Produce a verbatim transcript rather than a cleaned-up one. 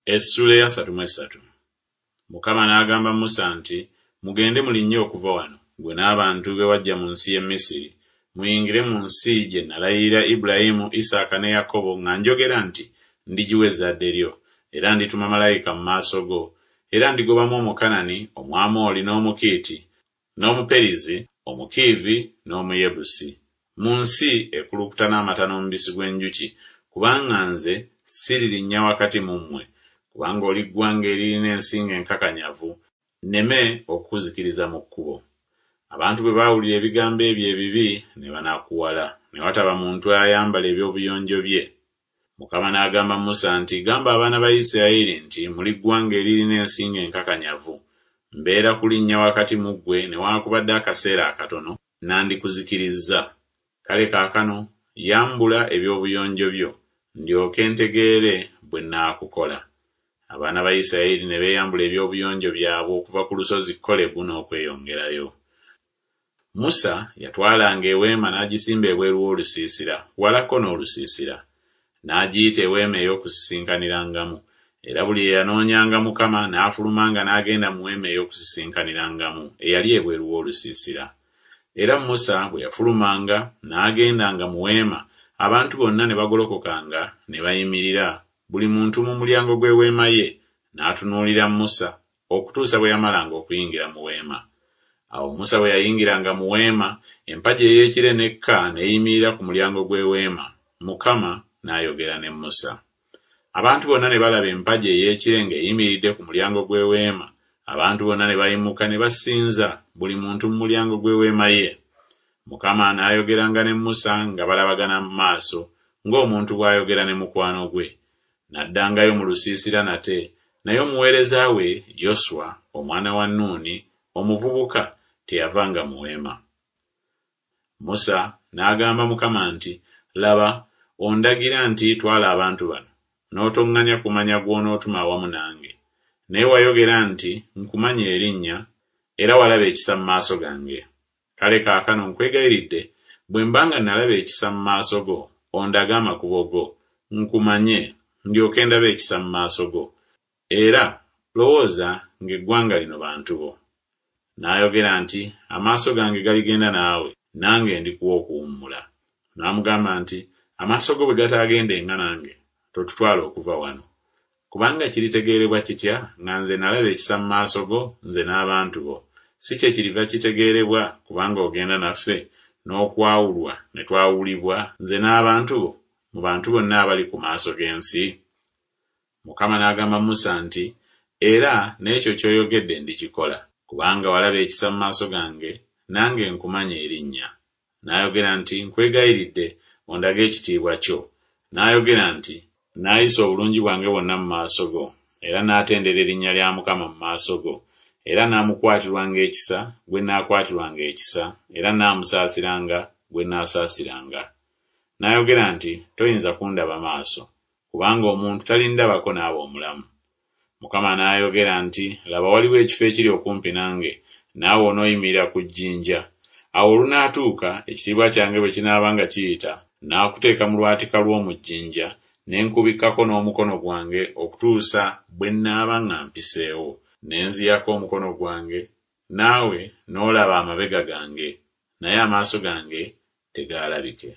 Essuula ey'asatu mu essatu. Mukama n'agamba Musa nti, Mugende mulinnye okuva wano, ggwe n'abantu be waggya mu nsi y'e Misiri, muyingire mu nsi gye nalayirira Ibulayimu, Isaaka ne Yakobo nga njogera nti Ndigiwa ezzadde lyo. Era ndituma malayika mu maaso go, era ndigobamu Omukanani, Omwamoli, n'Omukiiti, n'Omuperizi, Omukiivi, n'Omuyebusi, mu nsi ekulukuta n'amata n'omubisi gw'enjuki, kubanga nze siririnnya wakati mu mmwe, kubanga oli ggwanga eririna ensingo enkakanyavu, nneme okukuzikiriza mu kkubo. Abantu bwe baawulira ebigambo ebyo ebibi ne banakuwala, ne wataba muntu ayambala eby'obuyonjo bye. Mukama n'agamba Musa nti, Gamba abaana ba Isirayiri nti Muli ggwanga eririna ensingo enkakanyavu. Mbeera kulinnya wakati mu ggwe newaakubadde akaseera akatono, nandikuzikirizza. Kale kaakano yambula eby'obuyonjo byo, ndyoke ntegeere bwe nnaakukola. Abaana ba Isirayiri ne beeyambula eby'obuyonjo byabwe okuva ku lusozi Kolebu n'okweyongerayo. Musa yatwalanga eweema n'agisimba ebweru w'olusiisira, walako n'olusiisira. N'agiyita eweema ey'okusisinkanirangamu. Era buli eyanoonyanga Mukama n'afulumanga n'agenda mu weema ey'okusisinkanirangamu eyali ebweru w'olusiisira. Era Musa bwe yafulumanga n'agendanga mu weema, abantu bonna ne bagolokokanga ne bayimirira, buli muntu mu mulyango gw'eweema ye, n'atunuulira Musa okutuusa bwe yamalanga okuyingira mu weema. Awo Musa bwe yayingiranga mu weema, empagi ey'ekire n'ekka n'eyimirira ku mulyango gw'eweema, Mukama n'ayogera ne Musa. Abantu bonna ne balaba empagi ey'ekire ng'eyimiridde ku mulyango gw'eweema, abantu bonna ne bayimuka ne basinza, buli muntu mu mulyango gw'eweema ye. Mukama n'ayogeranga ne Musa nga balabagana mu maaso, ng'omuntu bw'ayogera ne mukwano gwe. N'addangayo mu lusiisira nate, naye omuweereza we Yoswa omwana wa Nuuni, omuvubuka, teyavanga mu weema. Musa n'agamba Mukama nti, Laba, ondagira nti Twala abantu bano, n'otoŋŋanya kumanya gw'onootuma awamu nange. Naye wayogera nti Nkumanyi erinnya, era walaba ekisa mu maaso gange. Kale kaakano nkwegayiridde, bwe mba nga nalaba ekisa mu maaso go, ondage amakubo go, nkumanye, ndyoke ndabe ekisa mu maaso go. Era lowooza ng'eggwanga lino bantu bo. N'ayogera nti, Amaaso gange galigenda naawe, nange ndikuwa okuwummula. N'amugamba nti, Amaaso go bwe gataagendenga nange, totutwala okuva wano. Kubanga kiritegeerebwa kitya nga nze nalaba ekisa mu maaso go, nze n'abantu bo? Si kye kiriva kitegeerebwa kubanga ogenda naffe, n'okwawulwa ne twawulibwa, nze n'abantu bo, mu bantu bonna abali ku maaso g'ensi? Mukama n'agamba Musa nti, Era n'ekyo ky'oyogedde ndikikola, kubanga walaba ekisa mu maaso gange, nange nkumanyi erinnya. N'ayogera nti, Nkwegayiridde, ondage ekitiibwa kyo. N'ayogera nti, Naayisa obulungi bwange bwonna mu maaso go, era naatendera erinnya lya Mukama mu maaso go, era naamukwatirwanga ekisa gwe naakwatirwanga ekisa, era naamusaasiranga gwe naasaasiranga. N'ayogera nti, Toyinza kundaba maaso, kubanga omuntu talindabako n'aba omulamu. Mukama n'ayogera nti, Laba waliwo ekifo ekiri okumpi nange, naawe onooyimirira ku jjinja. Awo olunaatuuka, ekitiibwa kyange bwe kinaaba nga kiyita, naakuteeka mu lwatika lw'omu jjinja, ne nkubikkako n'omukono gwange okutuusa bwe nnaaba nga mpiseewo. Ne nziyako omukono gwange, naawe n'olaba amabega gange, naye amaaso gange tegaalabike.